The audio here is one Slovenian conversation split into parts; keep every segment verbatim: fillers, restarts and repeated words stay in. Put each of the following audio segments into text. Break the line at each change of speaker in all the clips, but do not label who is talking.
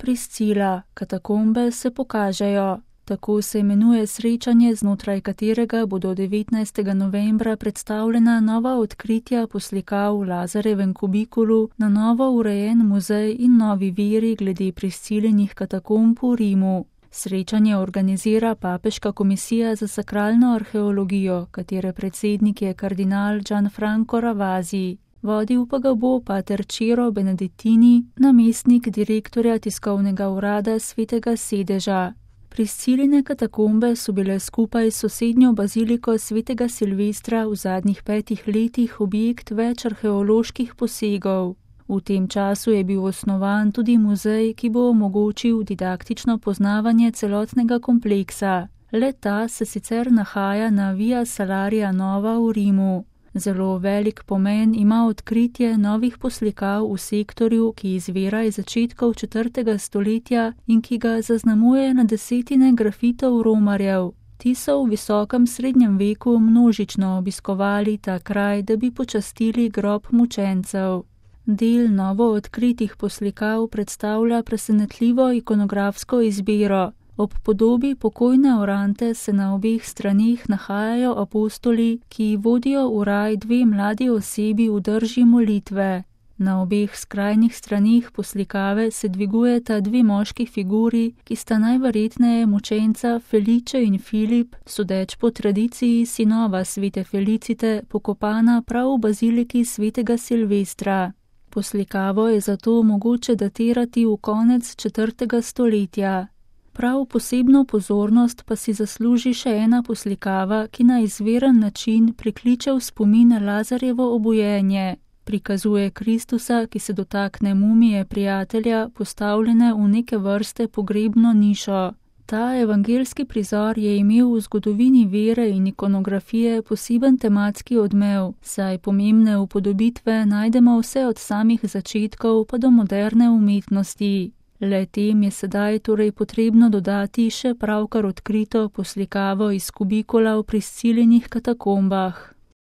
Priscila, katakombe se pokažejo. Tako se imenuje srečanje, znotraj katerega bodo devetnajstega novembra predstavljena nova odkritja poslikav v Lazarjevem kubikulu, na novo urejen muzej in novi viri glede Priscilinih katakomb v Rimu. Srečanje organizira Papeška komisija za sakralno arheologijo, katere predsednik je kardinal Gianfranco Ravasi. Vodil pa ga bo pater Ciro Benedettini, namestnik direktorja tiskovnega urada Svetega sedeža. Prisciline katakombe so bile skupaj s sosednjo baziliko Svetega Silvestra v zadnjih petih letih objekt več arheoloških posegov. V tem času je bil osnovan tudi muzej, ki bo omogočil didaktično poznavanje celotnega kompleksa. Le-ta se sicer nahaja na Via Salaria Nova v Rimu. Zelo velik pomen ima odkritje novih poslikav v sektorju, ki izvira iz začetkov četrtega stoletja in ki ga zaznamuje na desetine grafitov romarjev. Ti so v visokem srednjem veku množično obiskovali ta kraj, da bi počastili grob mučencev. Del novo odkritih poslikav predstavlja presenetljivo ikonografsko izbiro. Ob podobi pokojne Orante se na obeh straneh nahajajo apostoli, ki vodijo v raj dve mladi osebi v drži molitve. Na obeh skrajnih straneh poslikave se dvigujeta dve moški figuri, ki sta najverjetneje mučenca Felice in Filip, sodeč po tradiciji sinova svete Felicite, pokopana prav v baziliki Svetega Silvestra. Poslikavo je zato mogoče datirati v konec četrtega stoletja. Prav posebno pozornost pa si zasluži še ena poslikava, ki na izviren način prikliče v spomin Lazarjevo obujenje. Prikazuje Kristusa, ki se dotakne mumije prijatelja, postavljene v neke vrste pogrebno nišo. Ta evangeljski prizor je imel v zgodovini vere in ikonografije poseben tematski odmev, saj pomembne upodobitve najdemo vse od samih začetkov pa do moderne umetnosti. Le tem je sedaj torej potrebno dodati še pravkar odkrito poslikavo iz kubikula v Priscilinih katakombah.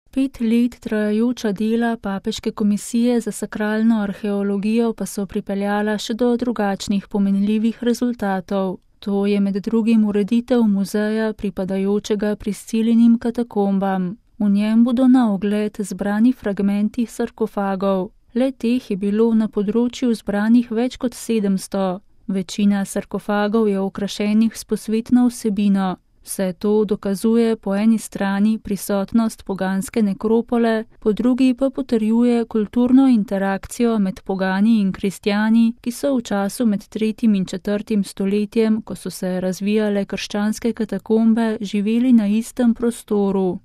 Pet let trajajoča dela Papeške komisije za sakralno arheologijo pa so pripeljala še do drugačnih pomenljivih rezultatov. To je med drugim ureditev muzeja pripadajočega Priscilinim katakombam. V njem bodo na ogled zbrani fragmenti sarkofagov. Le teh je bilo na področju zbranih več kot sedemsto. Večina sarkofagov je okrašenih s posvetno vsebino. Vse to dokazuje po eni strani prisotnost poganske nekropole, po drugi pa potrjuje kulturno interakcijo med pogani in kristjani, ki so v času med tretjim in četrtim stoletjem, ko so se razvijale krščanske katakombe, živeli na istem prostoru.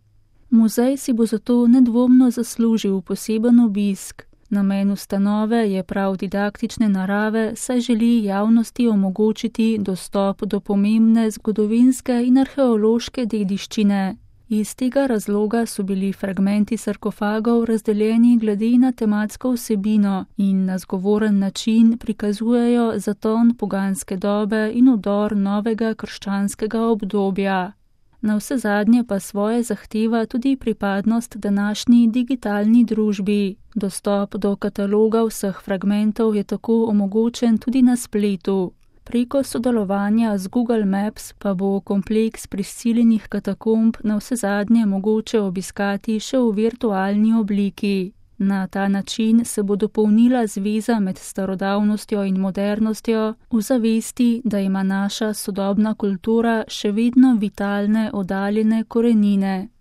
Muzej si bo zato nedvomno zaslužil poseben obisk. Namen ustanove je prav didaktične narave, saj želi javnosti omogočiti dostop do pomembne zgodovinske in arheološke dediščine. Iz tega razloga so bili fragmenti sarkofagov razdeljeni glede na tematsko vsebino in na zgovoren način prikazujejo zaton poganske dobe in vdor novega krščanskega obdobja. Na vse zadnje pa svoje zahteva tudi pripadnost današnji digitalni družbi. Dostop do kataloga vseh fragmentov je tako omogočen tudi na spletu. Preko sodelovanja z Google Maps pa bo kompleks Priscilinih katakomb na vse zadnje mogoče obiskati še v virtualni obliki. Na ta način se bo dopolnila zveza med starodavnostjo in modernostjo v zavesti, da ima naša sodobna kultura še vedno vitalne, oddaljene korenine.